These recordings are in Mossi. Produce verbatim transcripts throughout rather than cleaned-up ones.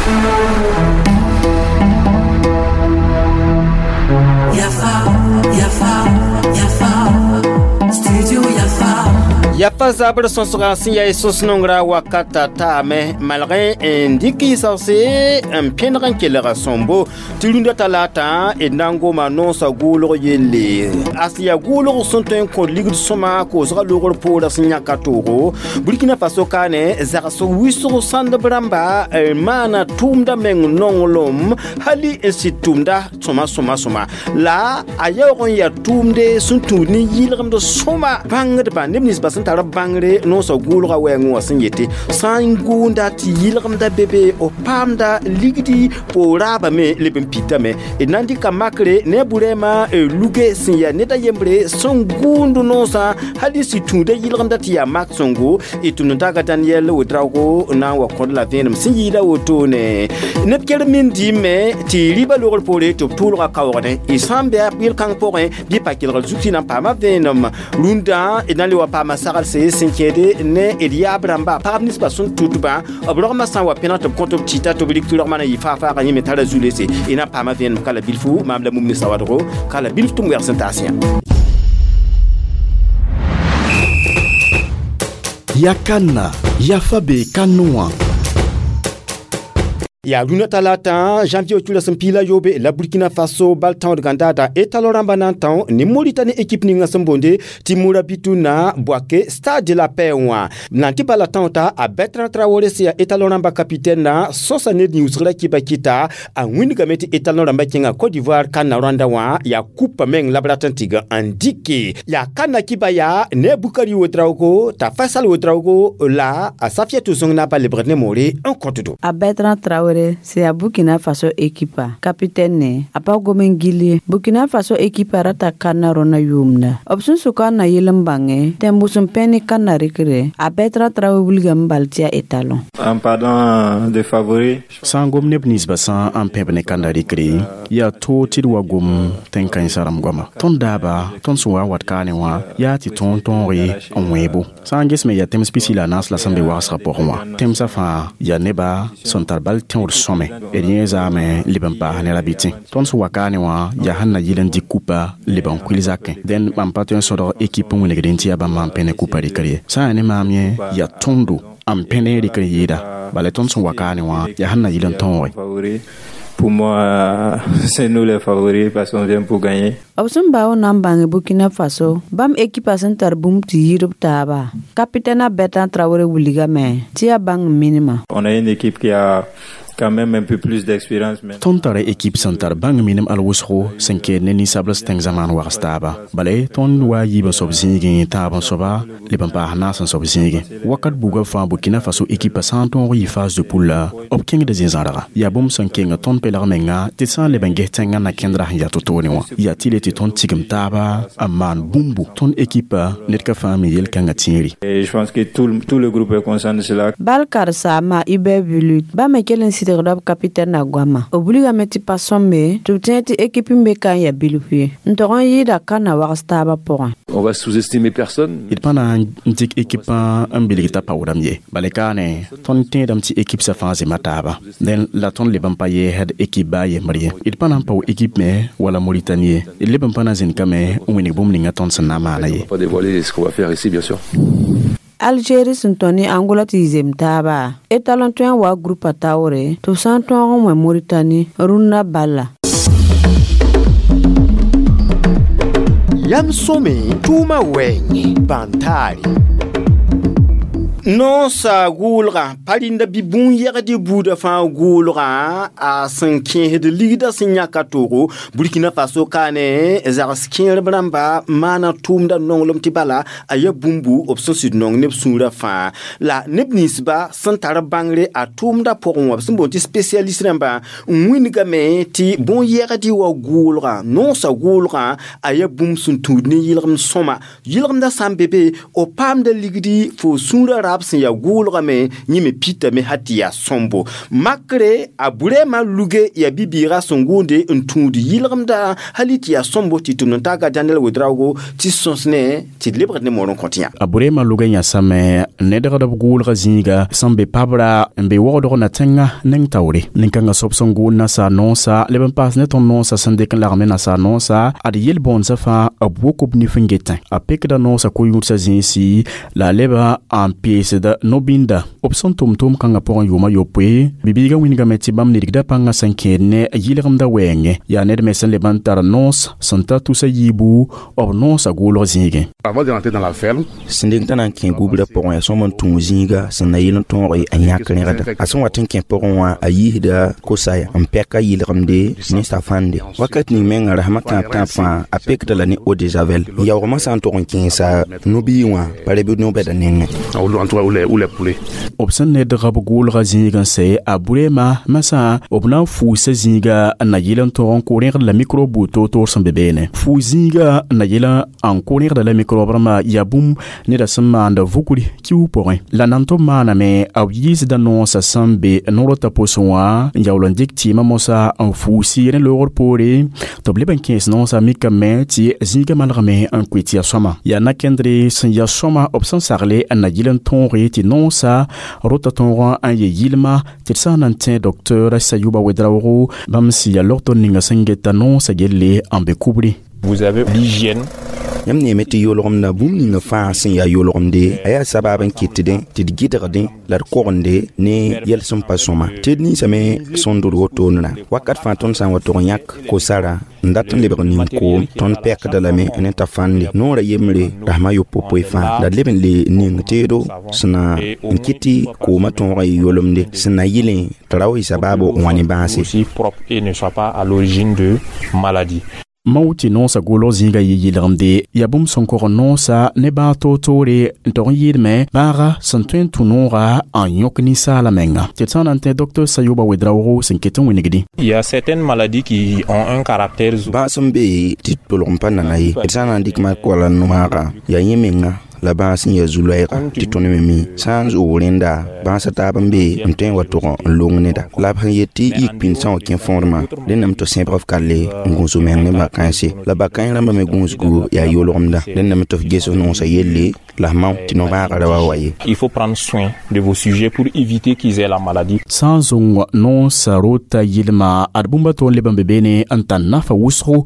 Yafa, Yafa, Yafa, Studio Yafa. Yafa zabr sõsga sẽn yaa sõs-nongrã wakata taame malgẽ n dɩk yɩsgse n pẽneg n kelg sõmbo tɩ rũndã talaatã d na n goma noosã gʋʋlg yelle a sẽn yaa gʋʋlg sẽn tõe n kõt ligd sõma koosgã loogr poorã sẽn yãka toogo Burkina Faso kaane zags wɩsg sãndb rãmba maana tʋʋmda meng nonglem hali n sɩd tʋʋmda sõma sõma sõma la a yaoog n yaa tʋʋmde sẽn tũud ne yɩlgemd sõma bãngdbã neb ninsbã sẽn tar bãngre noosã gʋʋlgã wɛɛngẽ wã sẽn yete sã n gʋʋnda tɩ yɩlgemda be be f paamda ligdi fo raabame leb n pitame d na n dɩka makre ne a burɛɛmã luge sẽn yaa ned a yembre sẽn gʋʋnd noosã hal n sɩd tũuda yɩlgemda tɩ yaa mak sõngo d tʋmd n taaga Daniel Ouedraogo na n wa kõd la vẽenem sẽn yɩɩda wotone neb ker min dɩɩme tɩ rɩɩbã logr poore tɩ b tʋʋlga kaoogdẽ y sã n bɩ a yel-kãng pʋgẽ bɩ pa kelgr zug tɩ na n paama vẽenem rũndã d na n le wa paama saglse sẽn kẽede ne d yaab rãmba pagb ninsbã sẽn tʋtbã b rogmã sã n wa pẽneg tɩ b kõt b tɩta tɩ b rɩk tɩ rogmã na yɩ faag-faagã yẽ me tara zu-lese y na n paama vẽenem ka la bilfu maam la mum ne sawadgo ka la bilf tɩ m wɛgs n taas yã. Yakana, Yafabe Kanoa. Ya rũndã talaatã janvier tula sẽn piila yoobe la Burkina Faso bal tãood gãndaada étalon rãmbã na n tão ne Mauritanie équipe ninga sẽn boonde tɩ Mourabitouna Bouaké Stade de la Paix wã na n tɩ bala tão-ta a Bertrand Traoré sẽn yaa étalon rãmbã capitaine na sõsa ned yĩusgrã kɩba kɩta a wĩndgame tɩ étalon rãmbã kẽnga Côte d'Ivoire kãnna rãnda wã yaa kupa meng la b rat n tɩg n dɩke yaa kãnna kɩba yaa ne a Bukari Ouedraogo t'a Faisal Ouedraogo la a Safiatou Zong na ba lebgd ne moore n kõtdo. A Bertrand Traoré c'est à Burkina Faso ekipa capitaine a pa gomen gilie Burkina Faso ekipa rata kana rona yumna option suka na yelem bange tembusun peni kana rikre a Bertrand Traoré wulgam baltia étalon en parlant de favoris sãn gom neb ninsbã sã n pẽb ne kanda rɩkre yaa toog tɩ d wa gom tẽn-kãensã rãmb goama tõnd daaba tõnd sẽn wa n wat kaane wã yaa tɩ tõog tõoge n wẽebo sã n ges me yaa tẽms pisi la a naas la sẽn be wagsgã pʋgẽ wã tẽmsã fãa yaa neba sẽn tar bal tẽod sõme d yẽ zaame leb n paas ne rabɩtẽ tõnd sẽn wa kaane wã yaa sẽn na yɩl n dɩk kupa leb n kuil zakẽ dẽn bãmb pa tõe n sõdg ekip n wilgdẽ tɩ yaa bãmb n pẽ ne kupa rɩkr ye sã n yaa ne maam yẽ yaa tõndo n pẽ ne rɩkr yɩɩda bala tõnd sẽn wa kaane wã yaa sẽn na yɩl n tõoge. Pour moi, c'est nous les favoris parce qu'on vient pour gagner. B sẽn bao na n bãnge Burkina Faso bãmb ekipa sẽn tar bũmb tɩ yɩɩd b taaba capitaine a Bertrand Traoré wilgame tɩ yaa bãng minima. On a une équipe qui a quand même un peu plus d'expérience. Tõnd tara ekip sẽn tar bãng minim al wʋsgo sẽn keed ne ninsabls tẽng zamaan wags taaba bala tõnd wa yiib n soab zĩigẽ tãab n soaba leb n paas naas n soab zĩigẽ wakat buga fãa Burkina Faso ekipa sã n tõog yɩ phase de poule la b kẽngda zĩ-zãrga yaa bũmb sẽn keng tõnd pelg menga tɩ sã n leb n ges tẽngã na kẽndra sẽn yaa to-toone wã yaa tɩ le tɩ tõnd tigim taaba n maan bũmbu tõnd ekipa ned ka fãa me yel-kãngã tẽeri. Je pense que tout, tout le groupe est conscient de cela. Bal karsaama Hubert Velud bãmb me kell n sɩdgda b capitaine na goama b wilgame tɩ pa sõmbe tɩ b tẽeg tɩ ekip n be ka n yaa bilf ye n tog n yɩɩda kãnna wags taabã pʋgẽ. On va sous-estimer personne. D pa na n dɩk ekipã n bilg t'a paoodame ye bala kaane tõnd tẽedame tɩ ekip sã fãa zema taaba dẽn la tõnd leb n pa yeesd ekip baa yembr ye d pa na n pao ekip me wala Mauritanie ye d leb n pa na zĩnd kame n wĩneg bũmb ninga tõnd sẽn na n maana ye. On va pas dévoiler ce qu'on va faire ici, bien sûr. Algérie sẽn tõe ne Angola tɩ y zem taaba étalon tõe n wa groupa taoore tɩ b sã n tõog n wẽ Mauritanie rũnnã balla. Yam sõme tʋʋmã wɛɛngẽ bãn-taare Noosã gʋʋlgã pa rĩnda bɩ bũn-yɛgd buudã fãa gʋʋlgã a sẽn kẽesd ligdã sẽn yãka toogo Burkina Faso kaane zags kẽerb rãmba maana tʋʋmda nonglem tɩ bala a yaa bũmbu b sẽn sɩd nong neb sũurã fãa la neb ninsba sẽn tar bãngre a tʋʋmda pʋgẽ wã b sẽn boond tɩ spécialiste rãmba n wĩndgame tɩ bũn-yɛgd wa gʋʋlgã noosã gʋʋlgã a yaa bũmb sẽn tũud ne yɩlgemd sõma yɩlgemdã sã n be be f paamda ligdi fo sũurã taab sẽn yaa gʋʋlgame yẽ me pitame hal tɩ yaa sõmbo makre a burɛɛmã luge yaa bi-bɩɩgã sẽn gʋʋnde n tũud yɩlgemda hal tɩ yaa sõmbo tɩ tʋmd n taaga Daniel Ouedraogo tɩ sõs ne tɩ d lebgd ne moor n kõt yã a burɛɛmã luga yãsame nedgd b gʋʋlga zĩiga sẽn be pabra n be wogdg na tẽngã neng taoore nin-kãngã soab sẽn gʋʋl nasaar noosã leb n paas ne tõnd noosã sẽn dɩk n lagem ne nasaar noosã ad yel-bõonesã fãa b wok b nif n getẽ a pekda noosã ko-yũudsã zĩisi la a leba n peesda no-bĩnda b sẽn tʋm tʋʋm-kãngã pʋgẽ yʋʋma yopoe bibiigã wĩnigame tɩ bãmb nidgda pãngã sẽn kẽed ne yɩlgemda wɛɛngẽ yaa ned me sẽn leb n tar noos sẽn ta tusa yiibu b noosã gʋʋlg zĩigẽ Avant de rentrer dans la ferme, sẽn deng t'a na n kẽ gubra pʋgẽ yaa sõm n tũ zĩiga sẽn na yɩl n tõoge a yãk rẽgda a sẽn wat n kẽ pʋgẽ wã a yiisda kosaya n pɛka yɩlgemde ne safande wakat ning menga rasmã tãab tãab fãa a pekda la ne eau de javel n yaoogmã sã n tog n kẽesa no-bii wã pa reb no-bɛda nengẽ ou en tout cas, ou les, ou les poulets. b sẽn nedga b gʋʋlga zĩig n sɛ a burɛɛmã masã b na n fuusa zĩiga n na yɩl n tog n kʋ rẽgd la microbe buud toor-toor sẽn be beene fuu zĩiga n na yɩl n kʋ rẽgda la microbe rãmbã yaa bũmb neda sẽn maanda vugri kiu pʋgẽ la nan tɩ b maaname b yiisda noosã sẽn be no-rotã pʋsẽ wã n yaool n dɩk tɩɩmã mosã n fuusi rẽ loogr poore tɩ b leb n kẽes noosã mikame tɩ zĩigã malgame n koe tɩ yaa sõma yaa na-kẽndre sẽn yaa sõma b sẽn sagle n na yɩl n tõoge tɩ noosã rota tõogã n ye yɩlma tɩ d sã n na n tẽ docteur Sayuba Ouedraogo bãmb sẽn yaa logtor ninga sẽn geta noosã yelle n be kubri. Vous avez l'hygiène. Yãmb neeme tɩ yolgemda bũmb ninga fãa sẽn yaa yolgemde a yaa sabab n kɩtdẽ tɩ d gɩdgdẽ la d kogende ne yɛl sẽn pa sõma tɩ d ninsame sẽn dʋd wotone wakat fãa tõnd sã n wa tog n yãk ko-sara n dat n lebg nin-koom tõnd pɛkda lame ne t'a fãnde noorã yembre rasmã yopoe fãa la d leb n le ning teedo sẽn na n kɩt tɩ koomã tõogã yɩ yolemde sẽn na yɩlẽ tɩ ra wa yɩ sabaabo n wa ne bãase. Aussi propre et ne soit pas à l'origine de maladies. Mao tɩ noosã gʋʋlg zĩigã yɩ yɩlgemde yaa bũmb sẽn kog noosã ne bãag toor-toore n tog n yɩɩdme bãaga sẽn tõe n tũ noogã n yõk ninsaala menga tɩ d sã n na n tẽ docteur Sayuba Ouedraogo sẽn ket n wĩnigdi. Il y a certaines maladies qui ont un caractère Bãas n be tɩ tʋlg n pa nana ye d sã n na n dɩk mak wala no-maaga yaa yẽ menga la bãas n yaa zu-loɛɛga tɩ tõnd me mi sã n zoog rẽnda bãasã taab n be n tõe n wa tog n long neda la b sẽn yet tɩ yik pĩnd sã n wa kẽ fõodmã rẽndame tɩ sẽbg f kalle n gũus meng ne ba-kãense la ba-kãens rãmbã me gũusgu yaa yolgemda rẽndame tɩ f ges f noosã yelle la f mao tɩ no-bãagã ra wa wa ye. Il faut prendre soin de vos sujets pour éviter qu'ils aient la maladie. Sã n zõng noosã rota yɩlma ad bũmba toor leb n be beene n tar nafa wʋsgo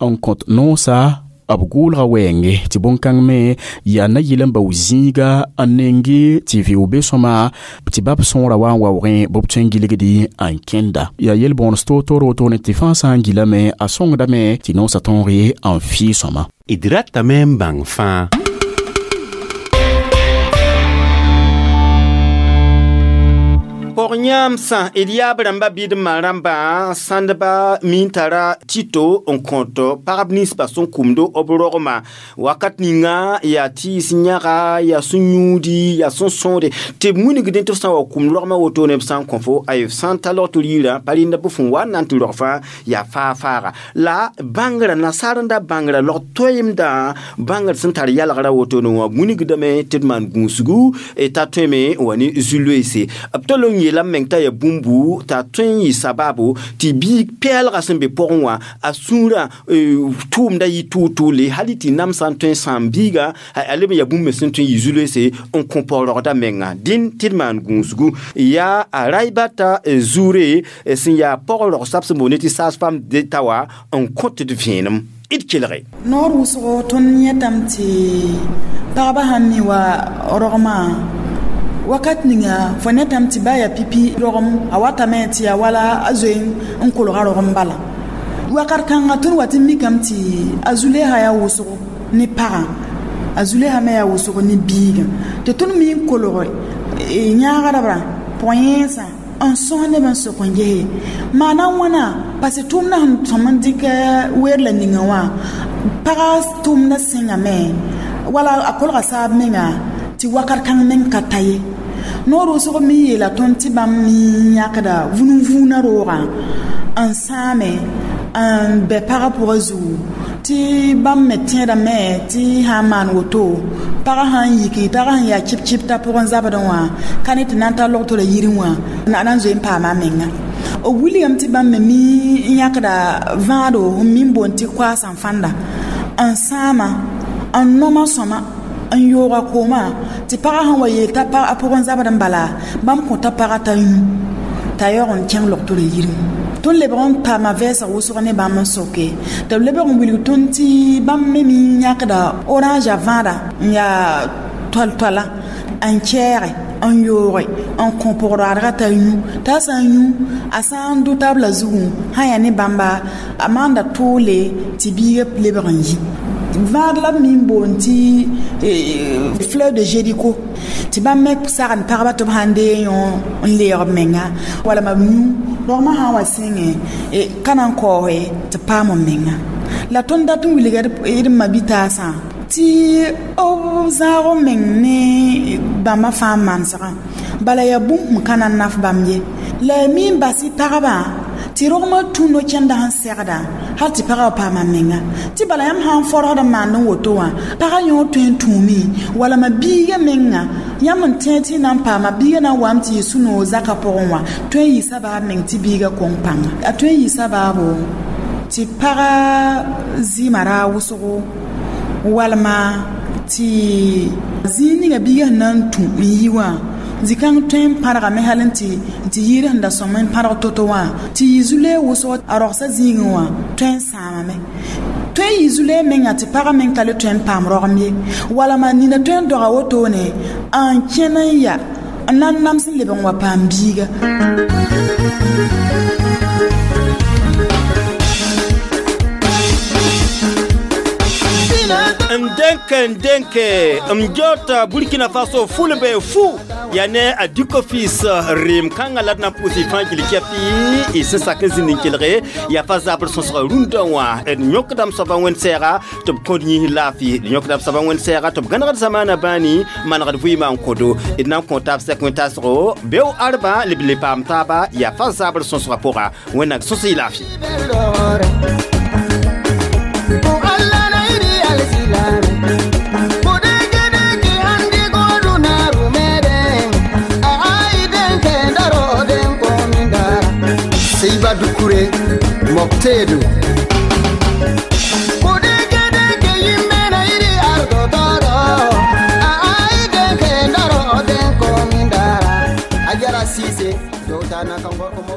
n kõt noosã b gʋʋlga wɛɛnge tɩ bõn-kãng me yaa na yɩl n bao zĩiga n nenge tɩ vɩʋ be sõma tɩ bab sõora wa n waoogẽ bɩ b tõe n gilgdi n kẽnda yaa yel-bõones toor-toor wotone tɩ fãa sã n gilame a sõngdame tɩ noosã tõog n fɩ sõma. D ratame n bãng fãa. Pɔg-yãamsã d yaab rãmba bɩ d ma rãmbã sãndba min tara tito n kõt pagb ninsbã sẽn kʋmd b rogmã wakat ninga yaa tɩɩs yãga yaa sẽn yũudi yaa sẽn sõode tɩ b wilgdẽ tɩ f sã n wa kʋmd rogmã wotone b sã n kõ fo ay f sã n ta lg tɩ riirã pa rẽnda bɩ fõn wa n na n tɩ rog fãa yaa faa-faaga la bãngrã nasaar n da bãngrã lg toeemdã bãngr sẽn tar yalgrã wotone wã wilgdame tɩ d maan gũusgu t'a tõeme n wa ne zu-loeese b tol n yeela meng t'a yaa bũmbu t'a tõe n yɩ sababu tɩ biig pɛɛlgã sẽn be pʋgẽ wã a sũurã tʋʋmda yɩ tʋʋl-tʋʋle hali tɩ namsã n tõe n sãam biiga a leb n yaa bũmb me sẽn tõe n yɩ zu-loeese n kõ paoorgda menga dĩn tɩ d maan gũusgu yaa a Raibata zuure sẽn yaa pɔg-rogsab sẽn boond tɩ sage-femme d'État wã n kõt d vẽenem d kelge. Noor wʋsgo tõnd yẽtame tɩ pagba sãn mi wa rogmã wakat ninga fo yẽtame tɩ ba yaa pipi rogem a watame tɩ yaa wala a zoe n kolga rogem bala wakat kãnga tõnd wat n mikame tɩ a Zuleyha yaa wʋsgo ne pagã a Zuleyha me yaa wʋsgo ne biigã tɩ tõnd me n kolge yãagdbrã pʋg-yẽensã n sõs neb n sok n gese maana wãna parce tʋʋmdã sẽn tõm n dɩk weer la ninga wã pagã tʋʋmdã sẽngame wala a kolga saab menga tɩ wakat kãng meng ka ta ye. Noor wʋsg me yeela tõnd tɩ bãmb me yãkda vũnu-vũunã roogã n sãame n bɛ pagã pʋgã zugu tɩ bãmb me tẽedame tɩ sã n maan woto pagã sã n yiki pagã sẽn yaa chɩp-chɩp t'a pʋgẽ zabdẽ wã ka ne tɩ na n tar logtorã yirẽ wã na n zoe n paama a menga b wilgame tɩ bãmb me mi n yãkda vãado n mi n boond tɩ koaas n fãnda n sãama n noma sõma n yooga koomã tɩ pagã sẽn wa yeel t'a a pʋgẽ zabd n bala bãmb kõta pagã t'a yũ t'a yaoog n kẽng logtorã yirẽ tõnd lebg n paama vɛɛsg wʋsg ne bãmb n soke tɩ b lebg n wilg tõnd tɩ bãmb me mi yãkda orange a vãada n yaa toal-toala n kɛɛge n yooge n kõ pʋgdadgã t'a yũ t'a sã n yũ a sã n dʋ tabla zugu sã yaa ne bãmba a maanda toole tɩ biigã lebg n yi vãad la b me n boond tɩ fleur de Jéricho tɩ bãmb me sagend pagba tɩ b sãn deeg yõ n leeg b menga walma b yũ rogmã sã n wa sẽngẽ ka na n kaoose tɩ paam b menga la tõnd dat n wilga d ma-bi-taasã tɩ b zãag b meng ne bãmba fãa manesgã bala yaa bũmb sẽn ka na n naf bãmb ye la ya mi n bas y pagba tɩ rogmã tũ no-kẽndã sẽn segda hal tɩ pagã wa paama menga tɩ bala yãmb sã n fɔrgd n maand n woto wã pagã yõ tõe n tũumi walma biigã menga yãmb n tẽeg tɩ y na n paama biigã na n wame tɩ yɩ sũ-noog zakã pʋgẽ wã tõe n yɩ sabaab meng tɩ biigã kõng pãnga a tõe n yɩ sabaabo tɩ paga zɩɩmã raag wʋsgo walma tɩ zĩig ninga biigã sẽn na n tũ n yi wã zĩ-kãng tõe n pãrgame hal n tɩ tɩ yɩɩr sẽn da sõm n pãrg to-to wã tɩ yɩ zu-loeeg wʋsg a rogsã zĩigẽ wã tõe n sãamame tõe n yɩ zu-loeeg menga tɩ pagã meng ka le tõe n paam rogem ye walma nina tõe n doga wotone n kẽn n ya n na n nams n leb n wa paam biiga. Ndenke ndenke mjota Burkina Faso fulbe fu ya ne a Duke-Fils rem kãngã la d na n pʋʋs y fãa gil kɛpɩ y sẽn sak n zĩnd n kelge yaa fa zabr sõsga rũndã wã d yõkdame soaba wẽnd-sɛɛga tɩ b kõd yĩs laafɩ d yõkdame soaba wẽnd-sɛɛga tɩ b gãnegd zamaanã bãani manegd vɩɩmã n kodo d na n kõ taab sɛk wẽn-tasgo beo arbã leb le paam taaba yaa fa zabr sõsgã pʋga wẽnnaam sõs y laafɩ. Seiba Dukure Moktedu Kudeke yimbe na iri ardo toro Ai denke ndaro den komindara Ajara sise dota na kango komo.